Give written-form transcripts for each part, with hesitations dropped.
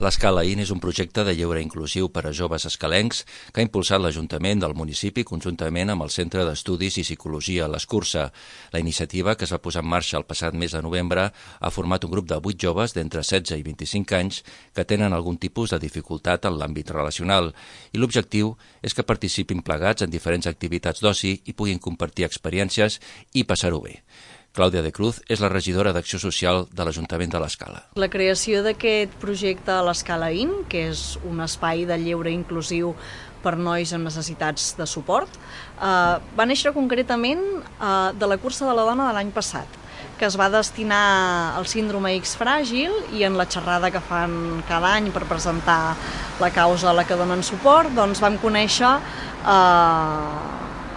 L'Escala IN és un projecte de lleure inclusiu per a joves escalencs que ha impulsat l'Ajuntament del municipi conjuntament amb el Centre d'Estudis i Psicologia l'Escurça. La iniciativa, que es va posar en marxa el passat mes de novembre, ha format un grup de 8 joves d'entre 16 i 25 anys que tenen algun tipus de dificultat en l'àmbit relacional i l'objectiu és que participin plegats en diferents activitats d'oci i puguin compartir experiències i passar-ho bé. Clàudia de Cruz és la regidora d'Acció Social de l'Ajuntament de l'Escala. La creació d'aquest projecte a l'Escala IN, que és un espai de lleure inclusiu per nois amb necessitats de suport, va néixer concretament de la cursa de la dona de l'any passat, que es va destinar al síndrome X fràgil, i en la xerrada que fan cada any per presentar la causa a la que donen suport, doncs vam conèixer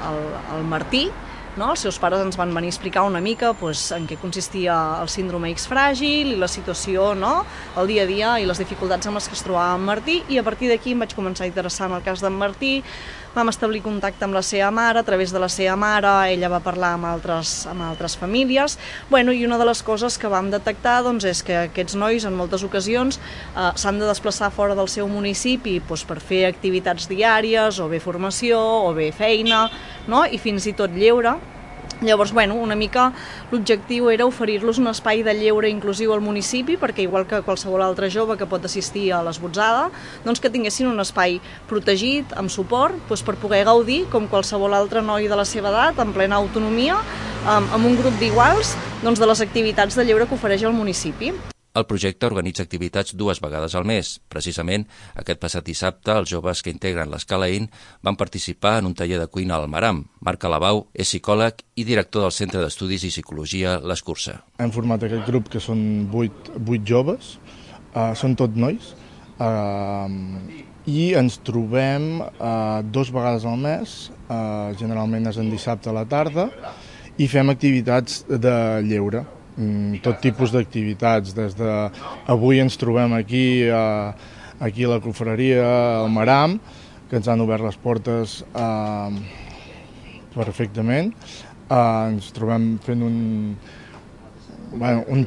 el Martí. Els seus pares ens van venir a explicar una mica en què consistia el síndrome X fràgil i la situació, el dia a dia i les dificultats amb les que es trobava en Martí, i a partir d'aquí em vaig començar a interessar en el cas d'en Martí. Vam establir contacte amb la seva mare, a través de la seva mare ella va parlar amb altres famílies, i una de les coses que vam detectar és que aquests nois en moltes ocasions s'han de desplaçar fora del seu municipi per fer activitats diàries, o bé formació, o bé feina, i fins i tot lleure. Llavors, una mica l'objectiu era oferir-los un espai de lleure inclusiu al municipi, perquè igual que qualsevol altre jove que pot assistir a l'esbotzada, que tinguessin un espai protegit, amb suport, per poder gaudir, com qualsevol altre noi de la seva edat, en plena autonomia, amb un grup d'iguals, de les activitats de lleure que ofereix el municipi. El projecte organitza activitats 2 vegades al mes. Precisament, aquest passat dissabte, els joves que integren l'Escala IN van participar en un taller de cuina al Maram. Marc Alabau és psicòleg i director del Centre d'Estudis i Psicologia l'Escurça. Hem format aquest grup, que són 8 joves, són tots nois, i ens trobem 2 vegades al mes, generalment és en dissabte a la tarda, i fem activitats de lleure. Tot tipus d'activitats, des de avui ens trobem aquí a la confraria, al Maram, que ens han obert les portes perfectament. Ens trobem fent un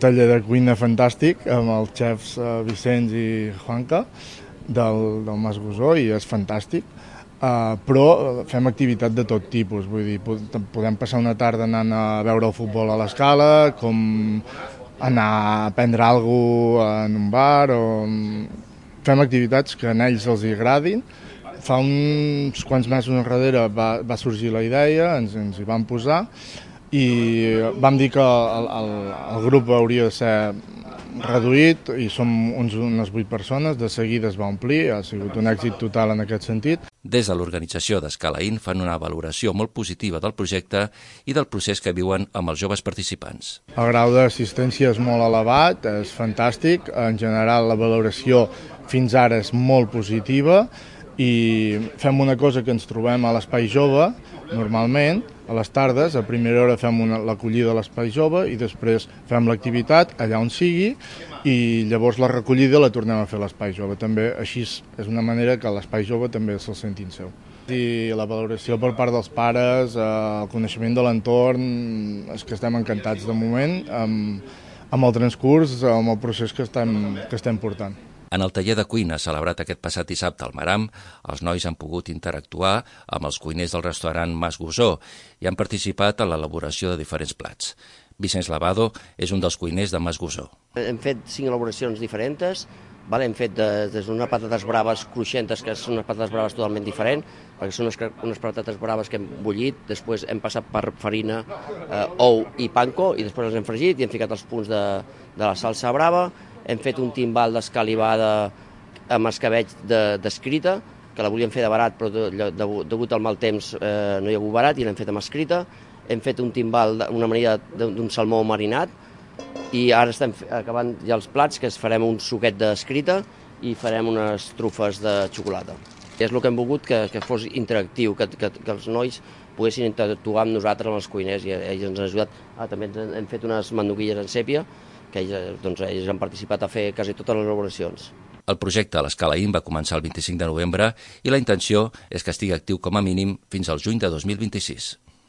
taller de cuina fantàstic amb els xefs Vicenç i Juanca del Mas Gosó, i és fantàstic. Però fem activitat de tot tipus, vull dir, podem passar una tarda anant a veure el futbol a l'Escala, com anar a prendre alguna cosa en un bar, fem activitats que a ells els agradin. Fa uns quants mesos enrere va sorgir la idea, ens hi vam posar, i vam dir que el grup hauria de ser reduït, i som unes 8 persones, de seguida es va omplir, ha sigut un èxit total en aquest sentit. Des de l'organització d'Escala IN fan una valoració molt positiva del projecte i del procés que viuen amb els joves participants. El grau d'assistència és molt elevat, és fantàstic, en general la valoració fins ara és molt positiva, i fem una cosa que ens trobem a l'Espai Jove, normalment, a les tardes, a primera hora fem l'acollida a l'Espai Jove i després fem l'activitat allà on sigui, i llavors la recollida la tornem a fer a l'Espai Jove. També així és una manera que l'Espai Jove també se'l sentin seu. I la valoració per part dels pares, el coneixement de l'entorn, és que estem encantats de moment amb el transcurs, amb el procés que estem portant. En el taller de cuina celebrat aquest passat dissabte al Maram, els nois han pogut interactuar amb els cuiners del restaurant Mas Gosó i han participat en l'elaboració de diferents plats. Vicenç Lavado és un dels cuiners de Mas Gosó. Hem fet 5 elaboracions diferents. Hem fet des d'unes patates braves cruixentes, que són unes patates braves totalment diferents, perquè són unes patates braves que hem bullit, després hem passat per farina, ou i panko, i després les hem fregit i hem ficat els punts de la salsa brava. Hem fet un timbal d'escalivada amb escabeig d'escrita, que la volíem fer de barat, però degut al mal temps no hi ha hagut barat, i l'hem fet amb escrita. Hem fet un timbal, una amanida d'un salmó marinat, i ara estem acabant ja els plats, que farem un suquet d'escrita i farem unes trufes de xocolata. És el que hem volgut, que fos interactiu, que els nois poguessin interactuar amb nosaltres, amb els cuiners, i ells ens han ajudat. També hem fet unes manduguilles en sèpia, que ells han participat a fer quasi totes les elaboracions. El projecte a l'Escala IN va començar el 25 de novembre i la intenció és que estigui actiu com a mínim fins al juny de 2026.